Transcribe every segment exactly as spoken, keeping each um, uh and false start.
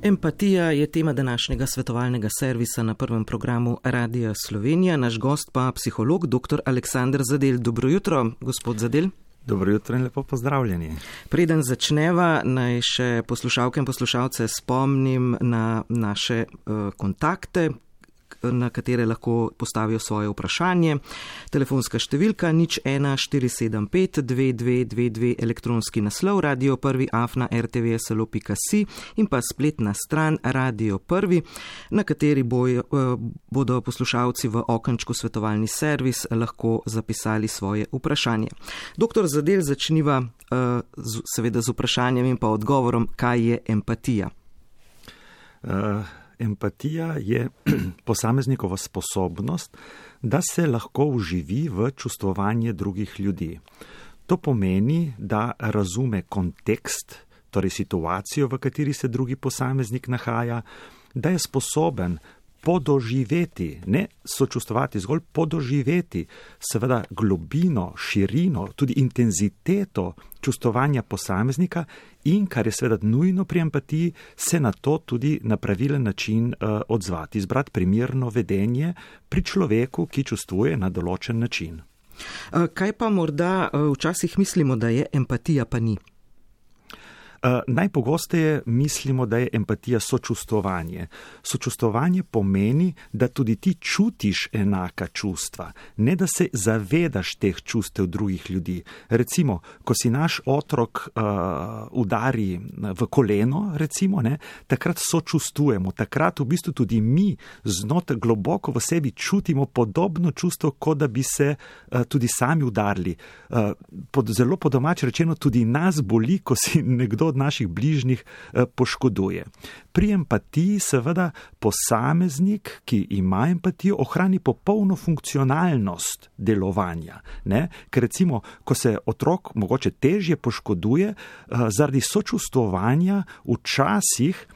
Empatija je tema današnjega svetovalnega servisa na prvem programu Radia Slovenija. Naš gost pa psiholog dr. Aleksander Zadel. Dobro jutro, gospod Zadel. Dobro jutro in lepo pozdravljeni. Preden začneva, naj še poslušalke in poslušalce spomnim na naše uh, kontakte, na katere lahko postavijo svoje vprašanje. Telefonska številka nič ena štiri sedem pet dve dve dve dve, elektronski naslov radio prvi afna er te ve es el o pika si in pa spletna stran Radio Prvi, na kateri bojo, bodo poslušalci v okenčku svetovalni servis lahko zapisali svoje vprašanje. Doktor Zadel, začniva seveda z vprašanjem in pa odgovorom, kaj je empatija. Uh... Empatija je posameznikova sposobnost, da se lahko vživi v čustvovanje drugih ljudi. To pomeni, da razume kontekst, torej situacijo, v kateri se drugi posameznik nahaja, da je sposoben podoživeti, ne sočustvovati, zgolj podoživeti, seveda globino, širino, tudi intenziteto čustvovanja posameznika in, kar je seveda nujno pri empatiji, se na to tudi na pravilen način uh, odzvati, izbrati primerno vedenje pri človeku, ki čustvuje na določen način. Kaj pa morda včasih mislimo, da je empatija, pa ni? Uh, najpogosteje mislimo, da je empatija sočustvovanje. Sočustvovanje pomeni, da tudi ti čutiš enaka čustva, ne da se zavedaš teh čustev drugih ljudi. Recimo, ko si naš otrok uh, udari v koleno, recimo, ne, takrat sočustvujemo, takrat v bistvu tudi mi znot globoko v sebi čutimo podobno čustvo, kot da bi se uh, tudi sami udarili. Uh, pod, zelo po domače rečeno, tudi nas boli, ko si nekdo od naših bližnjih eh, poškoduje. Pri empatiji seveda posameznik, ki ima empatijo, ohrani popolno funkcionalnost delovanja. Ne? Ker recimo, ko se otrok mogoče težje poškoduje, eh, zaradi sočustvovanja včasih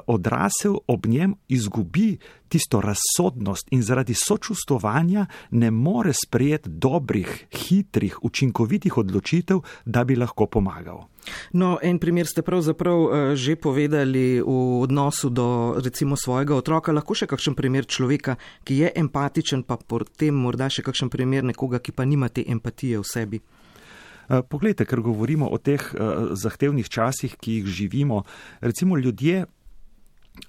odrasel ob njem izgubi tisto razsodnost in zaradi sočustvovanja ne more sprejeti dobrih, hitrih, učinkovitih odločitev, da bi lahko pomagal. No, en primer ste pravzaprav že povedali v odnosu do recimo svojega otroka. Lahko še kakšen primer človeka, ki je empatičen, pa potem morda še kakšen primer nekoga, ki pa nima te empatije v sebi? Poglejte, ker govorimo o teh uh, zahtevnih časih, ki jih živimo, recimo ljudje,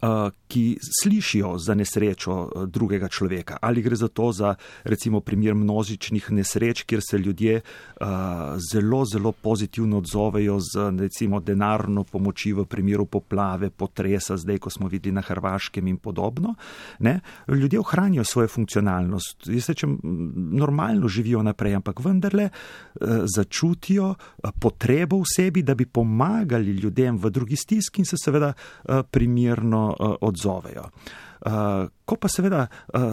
Uh, ki slišijo za nesrečo uh, drugega človeka. Ali gre za to za recimo primer množičnih nesreč, kjer se ljudje uh, zelo, zelo pozitivno odzovejo z recimo denarno pomoči v primeru poplave, potresa, zdaj, ko smo videli na Hrvaškem in podobno. Ne? Ljudje ohranijo svojo funkcionalnost. Jaz rečem, normalno živijo naprej, ampak vendarle uh, začutijo uh, potrebo v sebi, da bi pomagali ljudem v drugi stiski in se seveda uh, primerno odzovejo. Ko pa seveda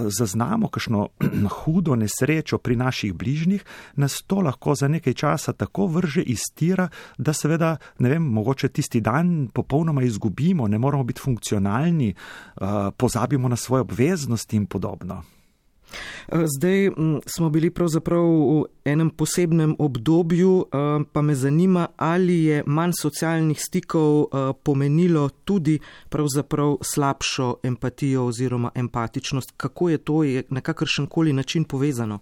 zaznamo kakšno hudo nesrečo pri naših bližnjih, nas to lahko za nekaj časa tako vrže iz tira, da seveda, ne vem, mogoče tisti dan popolnoma izgubimo, ne moramo biti funkcionalni, pozabimo na svoje obveznosti in podobno. Zdaj smo bili pravzaprav v enem posebnem obdobju, pa me zanima, ali je manj socialnih stikov pomenilo tudi pravzaprav slabšo empatijo oziroma empatičnost. Kako je to je na kakršenkoli način povezano?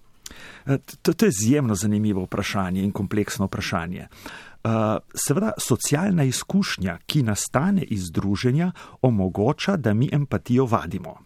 To, to je izjemno zanimivo vprašanje in kompleksno vprašanje. Seveda, socialna izkušnja, ki nastane iz druženja, omogoča, da mi empatijo vadimo.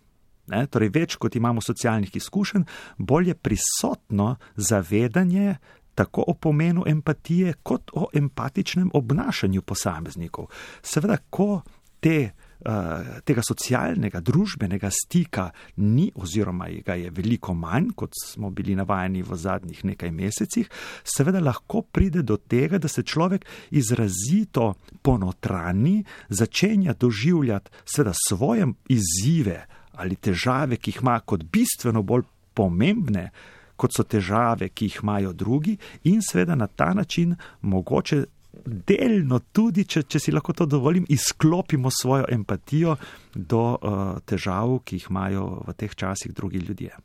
Ne, torej, več kot imamo socialnih izkušenj, bolj je prisotno zavedanje tako o pomenu empatije, kot o empatičnem obnašanju posameznikov. Seveda, ko te, uh, tega socialnega, družbenega stika ni oziroma ga je veliko manj, kot smo bili navajeni v zadnjih nekaj mesecih, seveda lahko pride do tega, da se človek izrazito ponotrani, začenja doživljati seveda svoje izzive ali težave, ki jih ima kot bistveno bolj pomembne, kot so težave, ki jih imajo drugi, in seveda na ta način mogoče delno tudi, če, če si lahko to dovolim, izklopimo svojo empatijo do uh, težav, ki jih imajo v teh časih drugi ljudje.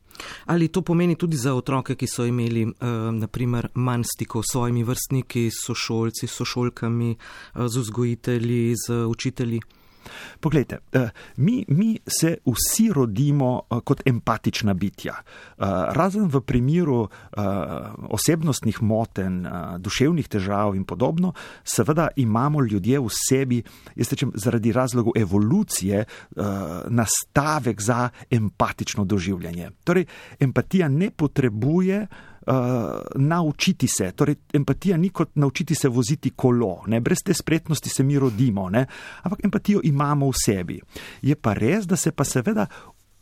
Ali to pomeni tudi za otroke, ki so imeli uh, naprimer manj stikov s svojimi vrstniki, s sošolci, s sošolkami, uh, z vzgojitelji, z učitelji? Poglejte, mi, mi se vsi rodimo kot empatična bitja. Razen v primeru osebnostnih motenj, duševnih težav in podobno, seveda imamo ljudje v sebi, jaz rečem, zaradi razlogov evolucije, nastavek za empatično doživljanje. Torej, empatija ne potrebuje Uh, naučiti se, torej empatija ni kot naučiti se voziti kolo, ne? Brez te spretnosti se mi rodimo, ne? Ampak empatijo imamo v sebi. Je pa res, da se pa seveda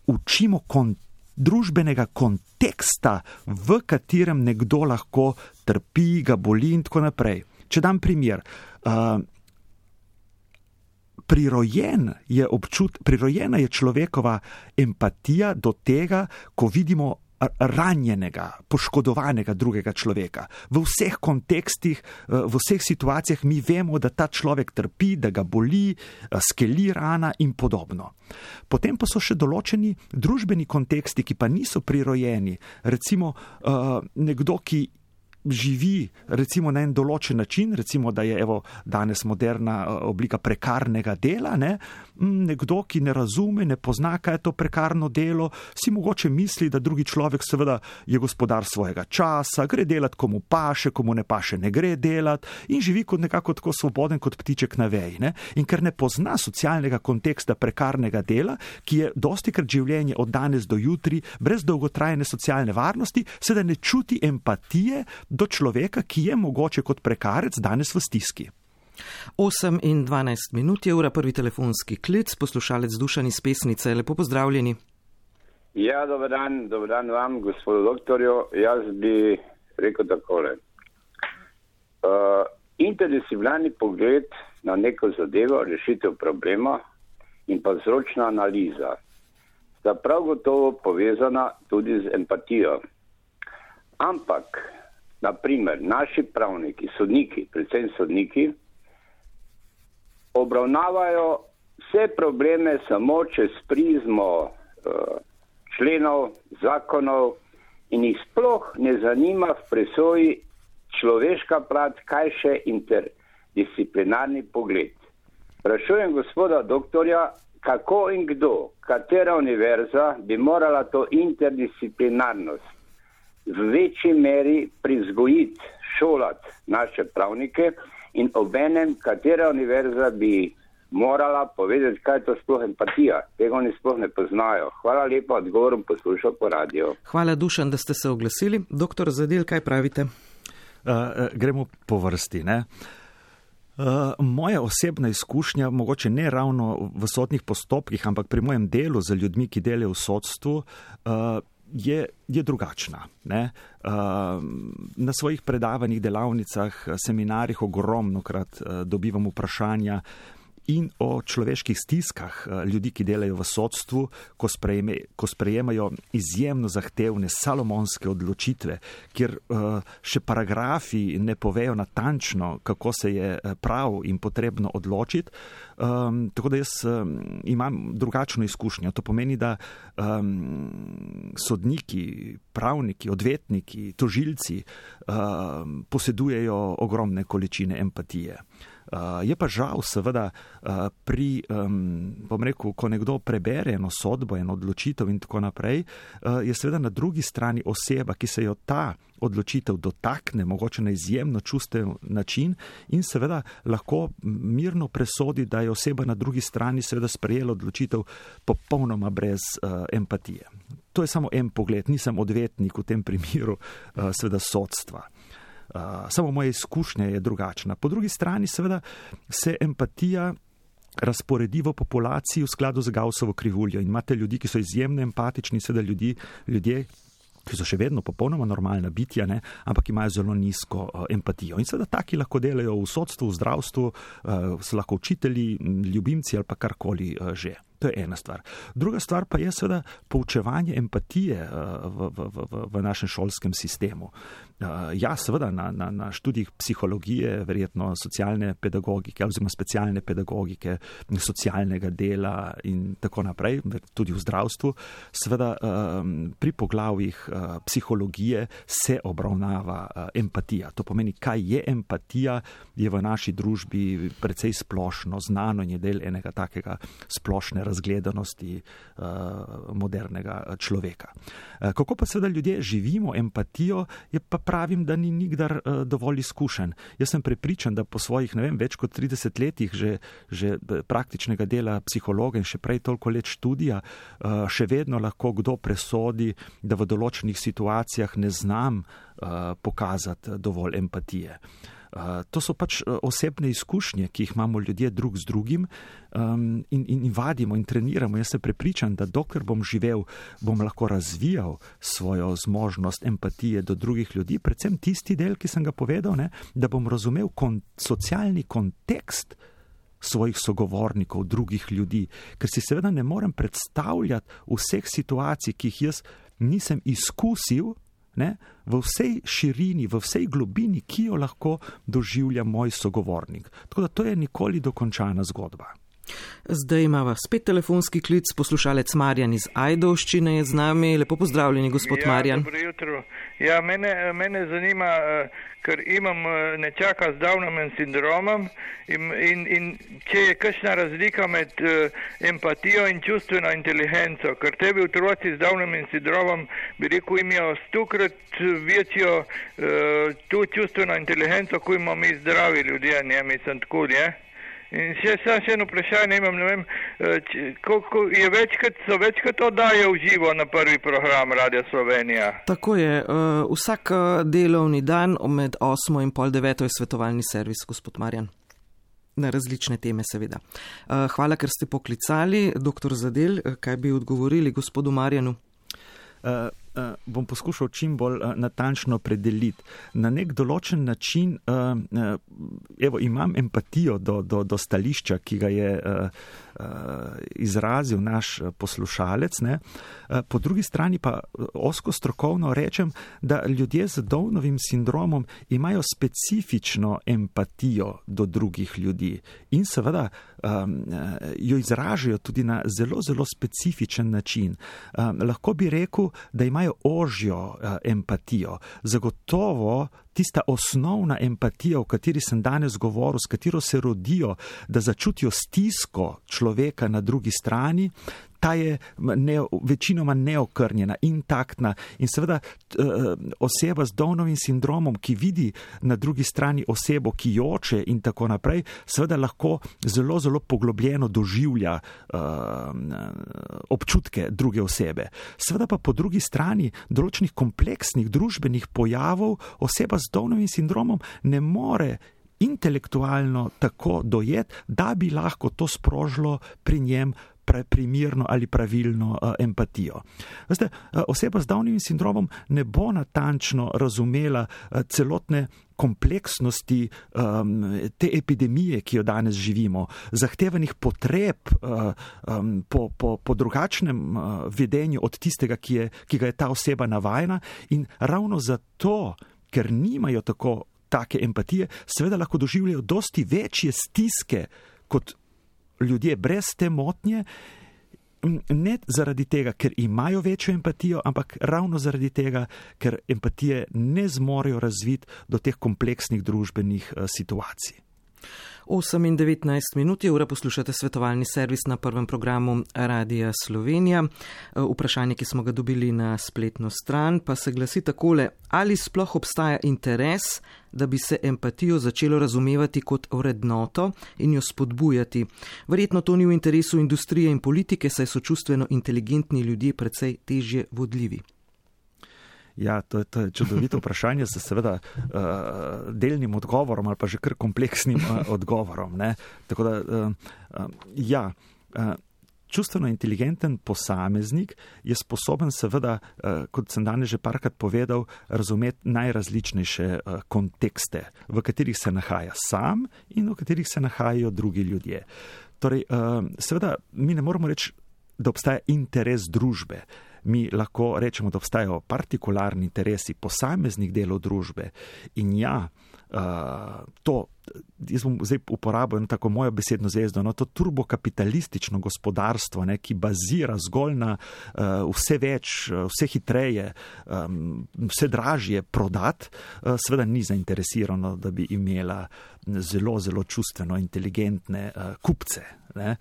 učimo kon- družbenega konteksta, v katerem nekdo lahko trpi, ga boli in tako naprej. Če dam primer, uh, prirojen je občut, prirojena je človekova empatija do tega, ko vidimo ranjenega, poškodovanega drugega človeka. V vseh kontekstih, v vseh situacijah mi vemo, da ta človek trpi, da ga boli, skeli rana in podobno. Potem pa so še določeni družbeni konteksti, ki pa niso prirojeni. Recimo nekdo, ki živi recimo na en določen način, recimo da je evo danes moderna oblika prekarnega dela, ne? Nekdo, ki ne razume, ne pozna, kaj je to prekarno delo, si mogoče misli, da drugi človek seveda je gospodar svojega časa, gre delat komu paše, komu ne paše, ne gre delat in živi kot nekako tako svoboden kot ptiček na veji, ne? In ker ne pozna socialnega konteksta prekarnega dela, ki je dostikrat življenje od danes do jutri, brez dolgotrajne socialne varnosti, seveda ne čuti empatije do človeka, ki je mogoče kot prekarec danes v stiski. osem in dvanajst minut je ura, prvi telefonski klic, poslušalec Dušan iz Pesnice, lepo pozdravljeni. Ja, dober dan, dober dan vam, gospodu doktorju. Jaz bi rekel takole. Uh, interdisciplinarni pogled na neko zadevo, rešitev problema in pa vzročna analiza sta prav gotovo povezana tudi z empatijo. Ampak na primer, naši pravniki, sodniki, predvsem sodniki, obravnavajo vse probleme samo čez prizmo uh, členov, zakonov in jih sploh ne zanima v presoji človeška plat, kaj še interdisciplinarni pogled. Sprašujem gospoda doktorja, kako in kdo, katera univerza bi morala to interdisciplinarnost v večji meri privzgojiti, šolati naše pravnike in obenem, katera univerza bi morala povedati, kaj je to sploh empatija. Tega oni sploh ne poznajo. Hvala lepa, odgovorom poslušal po radio. Hvala, Dušan, da ste se oglasili. Doktor Zadel, kaj pravite? Uh, gremo po vrsti, ne? Uh, moja osebna izkušnja, mogoče ne ravno v sodnih postopkih, ampak pri mojem delu za ljudmi, ki delajo v sodstvu, uh, Je, je drugačna. Ne? Uh, na svojih predavanjih, delavnicah, seminarjih ogromnokrat uh, dobivam vprašanja in o človeških stiskah uh, ljudi, ki delajo v sodstvu, ko, sprejme, ko sprejemajo izjemno zahtevne salomonske odločitve, kjer uh, še paragrafi ne povejo natančno, kako se je prav in potrebno odločiti. Um, tako da jaz um, imam drugačno izkušnjo. To pomeni, da um, sodniki, pravniki, odvetniki, tožilci um, posedujejo ogromne količine empatije. Uh, je pa žal seveda uh, pri, um, bom rekel, ko nekdo prebere eno sodbo, eno odločitev in tako naprej, uh, je seveda na drugi strani oseba, ki se jo ta odločitev dotakne, mogoče na izjemno čustev način in seveda lahko mirno presodi, da je oseba na drugi strani seveda sprejela odločitev popolnoma brez uh, empatije. To je samo en pogled, nisem odvetnik v tem primeru uh, seveda sodstva. Uh, samo moja izkušnja je drugačna. Po drugi strani seveda se empatija razporedi v populaciji v skladu z Gaussovo krivuljo in imate ljudi, ki so izjemno empatični, seveda ljudi, ljudje, ki so še vedno popolnoma normalna bitja, ne, ampak imajo zelo nizko uh, empatijo. In seveda taki lahko delajo v sodstvu, v zdravstvu, uh, so lahko učitelji, ljubimci ali pa karkoli uh, že. to je ena stvar. Druga stvar pa je seveda poučevanje empatije v, v, v, v našem šolskem sistemu. Ja, seveda na, na, na študijih psihologije, verjetno socialne pedagogike oziroma specialne pedagogike, socialnega dela in tako naprej, tudi v zdravstvu, seveda pri poglavjih psihologije se obravnava empatija. To pomeni, kaj je empatija, je v naši družbi precej splošno znano in je del enega takega splošne razgledanosti modernega človeka. Kako pa seveda ljudje živimo empatijo, je pa pravim, da ni nikdar uh, dovolj izkušen. Jaz sem prepričan, da po svojih, ne vem, več kot trideset letih že, že praktičnega dela psihologa in še prej toliko let študija, uh, še vedno lahko kdo presodi, da v določenih situacijah ne znam uh, pokazati dovolj empatije. Uh, to so pač osebne izkušnje, ki jih imamo ljudje drug z drugim um, in, in, in vadimo in treniramo. Jaz sem prepričan, da dokler bom živel, bom lahko razvijal svojo zmožnost empatije do drugih ljudi, predvsem tisti del, ki sem ga povedal, ne, da bom razumel kon- socialni kontekst svojih sogovornikov, drugih ljudi, ker si seveda ne morem predstavljati vseh situacij, ki jih jaz nisem izkusil, ne, v vsej širini, v vsej globini, ki jo lahko doživlja moj sogovornik. Tako da to je nikoli dokončana zgodba. Zdaj imava spet telefonski klic, poslušalec Marjan iz Ajdovščine je z nami. Lepo pozdravljeni, gospod ja, Marjan. Dobro jutro. Ja, mene, mene zanima, ker imam nečaka z Downovim sindromom in, in, in če je kakšna razlika med empatijo in čustveno inteligenco, ker tebi otroci z Downovim sindromom, bi rekel, imajo stokrat večjo tu čustveno inteligenco, ko imamo mi zdravi ljudje, ne, mislim tako, ne? In še, še eno vprašanje imam, ne vem, koliko je večkrat, so večkrat oddaje v živo na prvi program Radia Slovenija. Tako je, vsak delovni dan med osmo in pol deveto je svetovalni servis, gospod Marjan. Na različne teme seveda. Hvala, ker ste poklicali. Doktor Zadel, kaj bi odgovorili gospodu Marjanu? Uh, uh, bom poskušal čim bolj uh, natančno predeliti. Na nek določen način uh, uh, evo, imam empatijo do, do, do stališča, ki ga je uh, uh, izrazil naš poslušalec. Ne? Uh, po drugi strani pa ozko strokovno rečem, da ljudje z Downovim sindromom imajo specifično empatijo do drugih ljudi in seveda um, jo izražajo tudi na zelo, zelo specifičen način. Um, lahko bi rekel, da imajo ožjo uh, empatijo. Zagotovo tista osnovna empatija, o kateri sem danes govoril, s katero se rodijo, da začutijo stisko človeka na drugi strani, ta je ne, večinoma neokrnjena, intaktna in seveda oseba z Downovim sindromom, ki vidi na drugi strani osebo, ki joče in tako naprej, seveda lahko zelo, zelo poglobljeno doživlja uh, občutke druge osebe. Seveda pa po drugi strani določenih kompleksnih družbenih pojavov oseba z Downovim sindromom ne more intelektualno tako dojeti, da bi lahko to sprožilo pri njem primirno ali pravilno uh, empatijo. Veste, uh, oseba z Downovim sindromom ne bo natančno razumela uh, celotne kompleksnosti um, te epidemije, ki jo danes živimo, zahtevanih potreb uh, um, po, po, po drugačnem uh, vedenju od tistega, ki, je, ki ga je ta oseba navajena in ravno zato, ker nimajo tako take empatije, seveda lahko doživljajo dosti večje stiske kot ljudje brez te motnje, ne zaradi tega, ker imajo večjo empatijo, ampak ravno zaradi tega, ker empatije ne zmorejo razviti do teh kompleksnih družbenih uh, situacij. osem in devetnajst minut je ura, poslušate svetovalni servis na prvem programu Radia Slovenija. Vprašanje, ki smo ga dobili na spletno stran, pa se glasi takole: ali sploh obstaja interes, da bi se empatijo začelo razumevati kot vrednoto in jo spodbujati? Verjetno to ni v interesu industrije in politike, saj so čustveno inteligentni ljudje precej težje vodljivi. Ja, to je, to je čudovito vprašanje z seveda uh, delnim odgovorom ali pa že kar kompleksnim uh, odgovorom. Ne? Tako da, uh, uh, ja, uh, čustveno inteligenten posameznik je sposoben seveda, uh, kot sem danes že parkrat povedal, razumeti najrazličnejše uh, kontekste, v katerih se nahaja sam in v katerih se nahajajo drugi ljudje. Torej, seveda, mi ne moramo reči, da obstaja interes družbe. Mi lahko rečemo, da obstajajo partikularni interesi posameznih delov družbe. In ja, to, jaz bom zdaj uporabil tako mojo besedno zvezdo, no, to turbokapitalistično gospodarstvo, ne, ki bazira zgolj na uh, vse več, vse hitreje, um, vse dražje prodati, uh, seveda ni zainteresirano, da bi imela zelo, zelo čustveno inteligentne uh, kupce. Ne?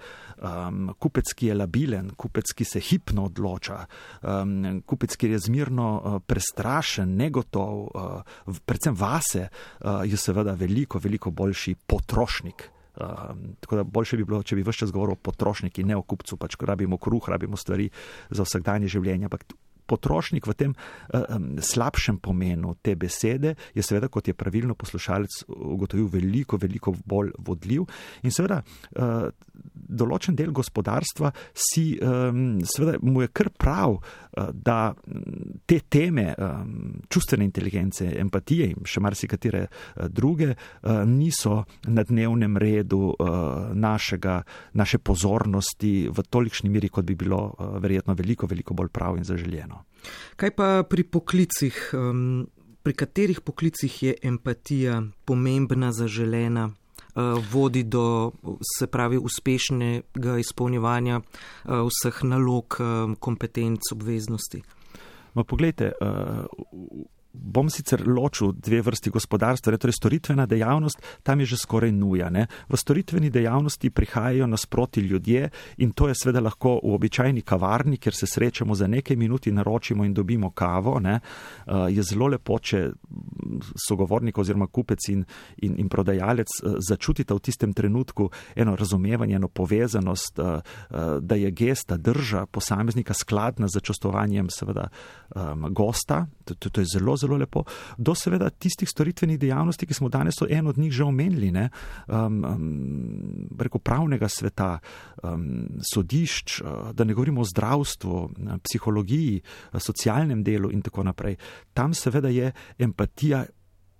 Um, kupec, ki je labilen, kupec, ki se hipno odloča, um, kupec, ki je zmerno uh, prestrašen, negotov, uh, predvsem vase, uh, je seveda veliko, veliko boljši potrošnik. Uh, tako da boljše bi bilo, če bi ves čas govoril o potrošniki, ne o kupcu, pač rabimo kruh, rabimo stvari za vsakdanje življenje, ampak potrošnik v tem uh, slabšem pomenu te besede je seveda, kot je pravilno poslušalec ugotovil, veliko, veliko bolj vodljiv in seveda uh, določen del gospodarstva si, um, seveda mu je kar prav, uh, da te teme um, čustvene inteligence, empatije in še marsikatere uh, druge uh, niso na dnevnem redu uh, našega, naše pozornosti v tolikšni miri, kot bi bilo uh, verjetno veliko, veliko bolj prav in zaželjeno. Kaj pa pri poklicih, um, pri katerih poklicih je empatija pomembna, zaželena, uh, vodi do, se pravi, uspešnega izpolnjevanja uh, vseh nalog, um, kompetenc, obveznosti? Ma poglejte, uh, bom sicer ločil dve vrsti gospodarstva, torej storitvena dejavnost, tam je že skoraj nuja. Ne? V storitveni dejavnosti prihajajo nasproti ljudje in to je seveda lahko v običajni kavarni, kjer se srečamo za nekaj minut in naročimo in dobimo kavo. Ne? Uh, je zelo lepo, če sogovornik oziroma kupec in, in, in prodajalec uh, začutita v tistem trenutku eno razumevanje, eno povezanost, uh, uh, da je gesta, drža posameznika skladna z čustovanjem seveda um, gosta. To, to, to je zelo, zelo lepo, do seveda tistih storitvenih dejavnosti, ki smo danes en od njih že omenili, ne, um, um, preko pravnega sveta, um, sodišč, uh, da ne govorimo o zdravstvu, psihologiji, socialnem delu in tako naprej. Tam seveda je empatija,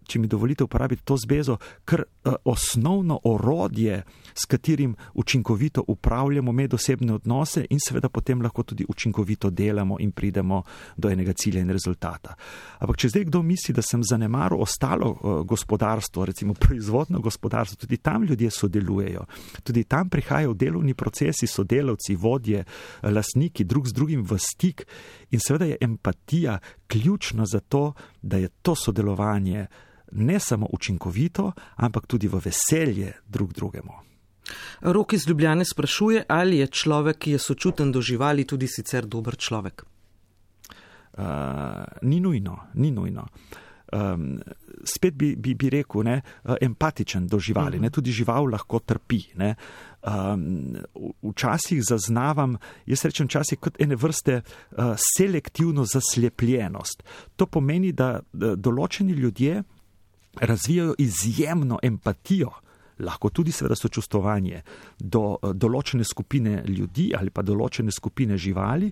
če mi dovolite uporabiti to zbezo, kar uh, osnovno orodje, s katerim učinkovito upravljamo medosebne odnose in seveda potem lahko tudi učinkovito delamo in pridemo do enega cilja in rezultata. Ampak če zdaj kdo misli, da sem zanemaril ostalo uh, gospodarstvo, recimo proizvodno gospodarstvo, tudi tam ljudje sodelujejo, tudi tam prihajajo delovni procesi, sodelavci, vodje, lastniki, drug z drugim v stik in seveda je empatija ključna za to, da je to sodelovanje ne samo učinkovito, ampak tudi v veselje drug drugemu. Rok iz Ljubljane sprašuje, ali je človek, ki je sočuten do živali, tudi sicer dober človek? Uh, ni nujno, ni nujno. Um, spet bi, bi, bi rekel, ne, empatičen do živali, ne, tudi žival lahko trpi. Ne. Um, včasih zaznavam, jaz rečem včasih kot ene vrste uh, selektivno zaslepljenost. To pomeni, da, da določeni ljudje razvijajo izjemno empatijo, lahko tudi seveda sočustvovanje do določene skupine ljudi ali pa določene skupine živali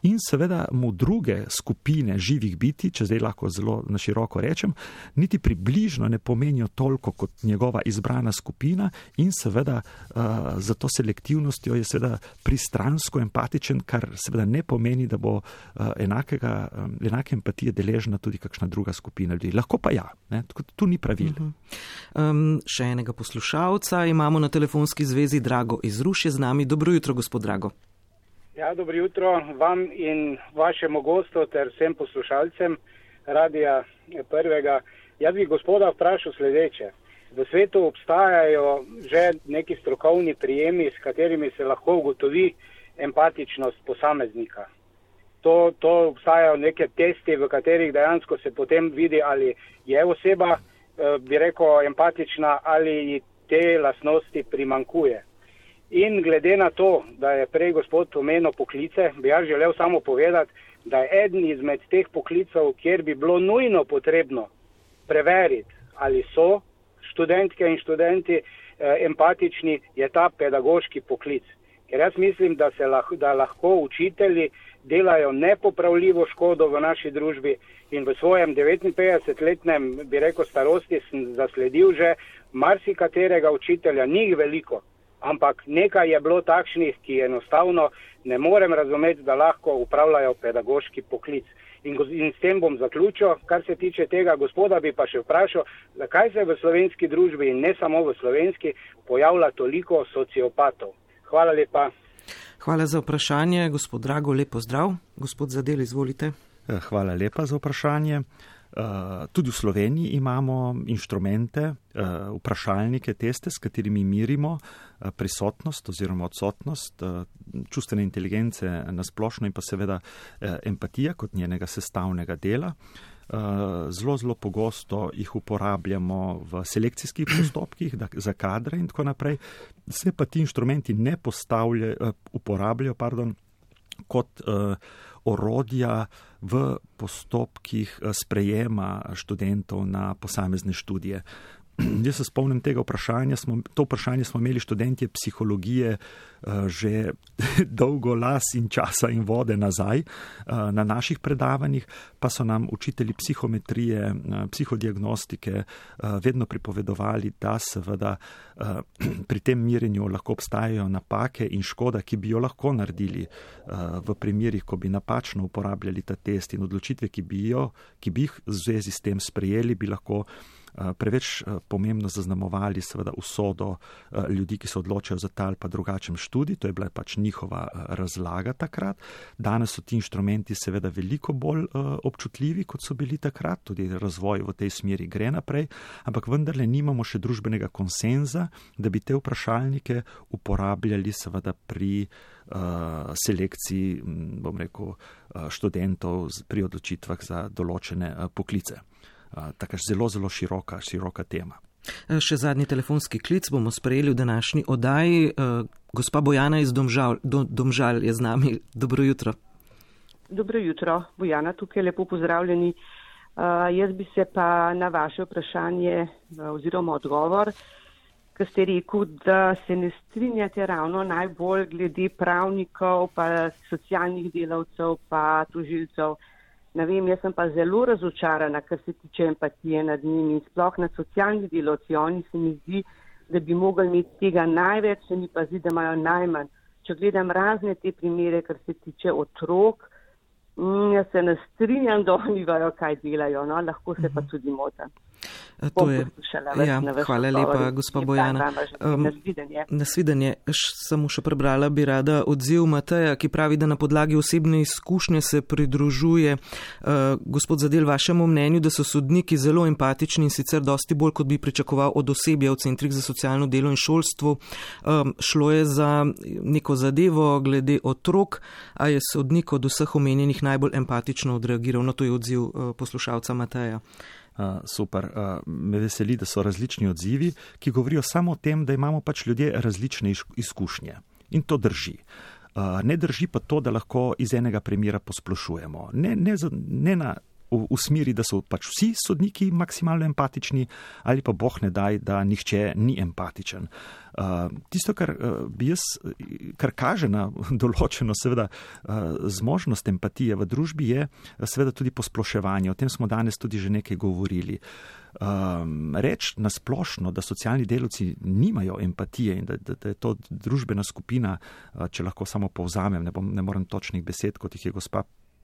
in seveda mu druge skupine živih biti, če zdaj lahko zelo na široko rečem, niti približno ne pomenijo toliko kot njegova izbrana skupina in seveda uh, za to selektivnostjo je seveda pristransko empatičen, kar seveda ne pomeni, da bo uh, enakega, um, enake empatije deležna tudi kakšna druga skupina ljudi. Lahko pa ja, ne? Tu ni pravil. Uh-huh. Um, še enega poslušalca imamo na telefonski zvezi, Drago iz Ruš je z nami. Dobro jutro, gospod Drago. Ja, dobro jutro vam in vašemu gostu ter vsem poslušalcem Radija Prvega. Jaz bi gospoda vprašal sledeče. V svetu obstajajo že neki strokovni prijemi, s katerimi se lahko ugotovi empatičnost posameznika. To, to obstajajo neke testi, v katerih dejansko se potem vidi, ali je oseba, bi rekel, empatična ali te lastnosti primankuje. In glede na to, da je prej gospod omenil poklice, bi jaz želel samo povedati, da je eden izmed teh poklicov, kjer bi bilo nujno potrebno preveriti, ali so študentke in študenti eh, empatični, je ta pedagoški poklic. Ker jaz mislim, da, se lahko, da lahko učitelji delajo nepopravljivo škodo v naši družbi in v svojem devetinpetdesetletnem, bi rekel, starosti sem zasledil že marsikaterega učitelja, njih veliko, ampak nekaj je bilo takšnih, ki enostavno ne morem razumeti, da lahko upravljajo pedagoški poklic. In, in s tem bom zaključil, kar se tiče tega gospoda, bi pa še vprašal, zakaj se v slovenski družbi in ne samo v slovenski pojavlja toliko sociopatov. Hvala lepa. Hvala za vprašanje, gospod Drago, lepo zdrav. Gospod Zadel, izvolite. Hvala lepa za vprašanje. Tudi v Sloveniji imamo inštrumente, vprašalnike, teste, s katerimi merimo prisotnost oziroma odsotnost čustvene inteligence na splošno in pa seveda empatija kot njenega sestavnega dela. Zelo, zelo pogosto jih uporabljamo v selekcijskih postopkih za kadre in tako naprej. Se pa ti inštrumenti ne uporabljajo pardon, kot uh, orodja v postopkih sprejema študentov na posamezne študije. Jaz se spomnim tega vprašanja, smo, to vprašanje smo imeli študentje psihologije uh, že dolgo las in časa in vode nazaj uh, na naših predavanjih, pa so nam učitelji psihometrije, uh, psihodiagnostike uh, vedno pripovedovali, da seveda uh, pri tem merjenju lahko obstajajo napake in škoda, ki bi jo lahko naredili uh, v primerih, ko bi napačno uporabljali ta test in odločitve, ki bi, jo, ki bi jih v zvezi s tem sprejeli, bi lahko preveč pomembno zaznamovali seveda usodo ljudi, ki se odločajo za ta ali pa drugačen študij. To je bila pač njihova razlaga takrat. Danes so ti inštrumenti seveda veliko bolj občutljivi, kot so bili takrat. Tudi razvoj v tej smeri gre naprej, ampak vendarle nimamo še družbenega konsenza, da bi te vprašalnike uporabljali seveda pri uh, selekciji, bom rekel, študentov pri odločitvah za določene uh, poklice. Uh, taka zelo, zelo široka, široka tema. Še zadnji telefonski klic bomo sprejeli v današnji oddaji. Uh, gospa Bojana iz Domžal, do, Domžal je z nami. Dobro jutro. Dobro jutro, Bojana, tukaj lepo pozdravljeni. Uh, jaz bi se pa na vaše vprašanje uh, oziroma odgovor, ker ste rekel, da se ne strinjate ravno najbolj glede pravnikov, pa socialnih delavcev, pa tožilcev. Ne vem, jaz sem pa zelo razočarana, kar se tiče empatije nad njimi, sploh nad socialnih delavci. Oni se mi zdi, da bi mogli imeti tega največ, se mi pa zdi, da imajo najmanj. Če gledam razne te primere, kar se tiče otrok, jaz se ne strinjam, da oni vajo, kaj delajo, no, lahko se pa tudi motim. To je, ja, hvala lepa, gospa Bojana. Um, nasvidenje. Samo še prebrala bi rada odziv Mateja, ki pravi, da na podlagi osebne izkušnje se pridružuje uh, gospod Zadel vašemu mnenju, da so sodniki zelo empatični in sicer dosti bolj, kot bi pričakoval od osebja v centrih za socialno delo in šolstvo. Um, šlo je za neko zadevo glede otrok, a je sodnik od vseh omenjenih najbolj empatično odreagiral. No, to je odziv uh, poslušalca Mateja. Uh, super. Uh, me veseli, da so različni odzivi, ki govorijo samo o tem, da imamo pač ljudje različne izkušnje. In to drži. Uh, ne drži pa to, da lahko iz enega primera posplošujemo. Ne, ne, ne na, v, v smeri, da so pač vsi sodniki maksimalno empatični, ali pa boh ne daj, da nihče ni empatičen. Uh, tisto, kar uh, bi jaz, kar kaže na določeno seveda uh, zmožnost empatije v družbi, je seveda tudi posploševanje. O tem smo danes tudi že nekaj govorili. Um, reč na splošno, da socialni delavci nimajo empatije in da, da, da je to družbena skupina, uh, če lahko samo povzamem, ne, bom, ne morem točnih besed, kot jih je gospa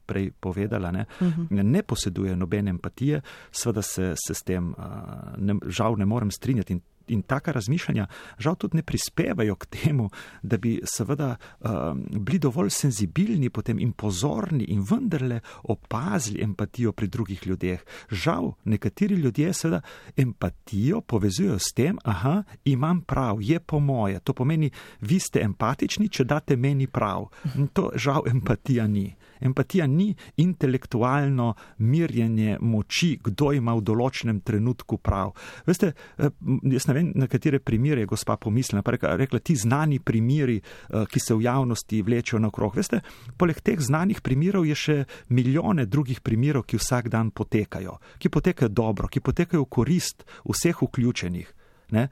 prej povedala, ne, uh-huh. ne poseduje nobene empatije, seveda se, se s tem uh, ne, žal ne morem strinjati in In taka razmišljanja žal tudi ne prispevajo k temu, da bi seveda um, bili dovolj senzibilni potem in pozorni in vendarle opazili empatijo pri drugih ljudeh. Žal, nekateri ljudje seveda empatijo povezujejo s tem, aha, imam prav, je po moje. To pomeni, vi ste empatični, če date meni prav. In to žal empatija ni. Empatija ni intelektualno mirjenje moči, kdo ima v določenem trenutku prav. Veste, jaz ne vem, na katere primere je gospa pomislila, pa rekla, rekla ti znani primeri, ki se v javnosti vlečejo naokrog. Veste, poleg teh znanih primerov je še milijone drugih primerov, ki vsak dan potekajo, ki potekajo dobro, ki potekajo v korist vseh vključenih. Ne?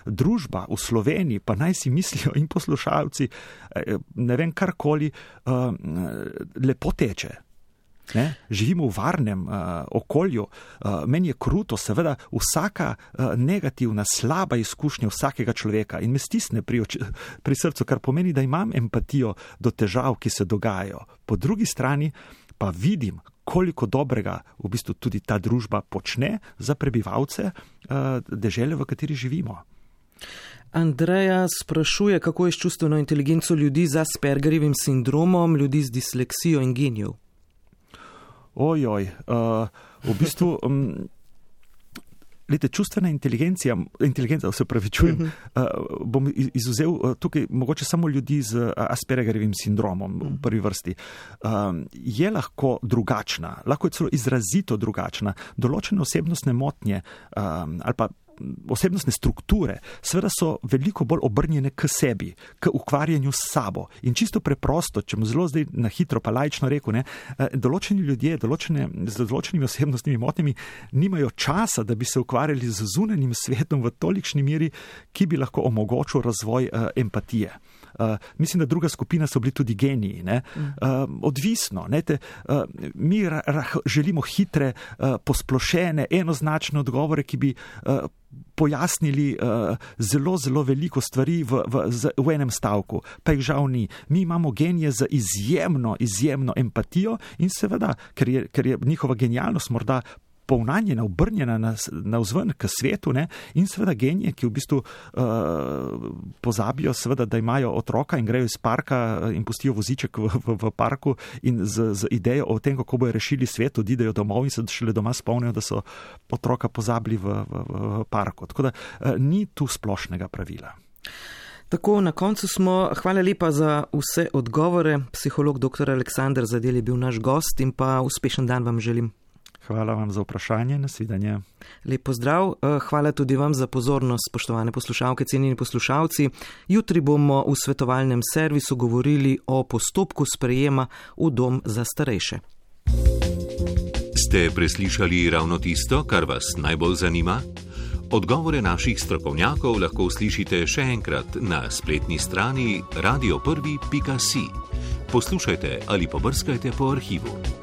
Družba v Sloveniji, pa naj si mislijo in poslušalci, ne vem karkoli, lepo teče. Ne? Živimo v varnem uh, okolju, uh, meni je kruto, seveda vsaka uh, negativna, slaba izkušnja vsakega človeka in me stisne pri, oči, pri srcu, kar pomeni, da imam empatijo do težav, ki se dogajajo. Po drugi strani pa vidim, koliko dobrega v bistvu tudi ta družba počne za prebivalce uh, dežele, v kateri živimo. Andreja sprašuje, kako je s čustveno inteligenco ljudi z Aspergerjevim sindromom, ljudi z disleksijo in genijev. Ojoj, uh, v bistvu, um, lete, čustvena inteligencija, inteligenca, se pravičujem, uh, bom izuzel uh, tukaj mogoče samo ljudi z Aspergerjevim sindromom v prvi vrsti, um, je lahko drugačna, lahko je celo izrazito drugačna, določene osebnostne motnje um, ali pa osebnostne strukture, seveda so veliko bolj obrnjene k sebi, k ukvarjanju s sabo. In čisto preprosto, če mu zelo zdaj na hitro pa laično rekel, ne, določeni ljudje določene, z določenimi osebnostnimi motnjami nimajo časa, da bi se ukvarjali z zunanjim svetom v tolikšni meri, ki bi lahko omogočil razvoj uh, empatije. Uh, mislim, da druga skupina so bili tudi geniji. Ne? Uh, odvisno. Ne? Te, uh, mi ra, ra, želimo hitre, uh, posplošene, enoznačne odgovore, ki bi uh, pojasnili uh, zelo, zelo veliko stvari v, v, z, v enem stavku. Pa jih žal ni. Mi imamo genije za izjemno, izjemno empatijo in seveda, ker je, ker je njihova genialnost morda povnanjena, obrnjena na, na vzven k svetu, ne? In seveda genije, ki v bistvu uh, pozabijo seveda, da imajo otroka in grejo iz parka in pustijo voziček v, v, v parku in z, z idejo o tem, kako bojo rešili svet, odidejo domov in se šele doma spomnijo, da so otroka pozabili v, v, v parku. Tako da uh, ni tu splošnega pravila. Tako, na koncu smo. Hvala lepa za vse odgovore. Psiholog doktor Aleksander Zadel je bil naš gost in pa uspešen dan vam želim. Hvala vam za vprašanje, nasvidenje. Lep pozdrav, hvala tudi vam za pozornost, spoštovane poslušalke, cenjeni poslušalci. Jutri bomo v svetovalnem servisu govorili o postopku sprejema v dom za starejše. Ste preslišali ravno tisto, kar vas najbolj zanima? Odgovore naših strokovnjakov lahko uslišite še enkrat na spletni strani radio prvi pika si. Poslušajte ali pobrskajte po arhivu.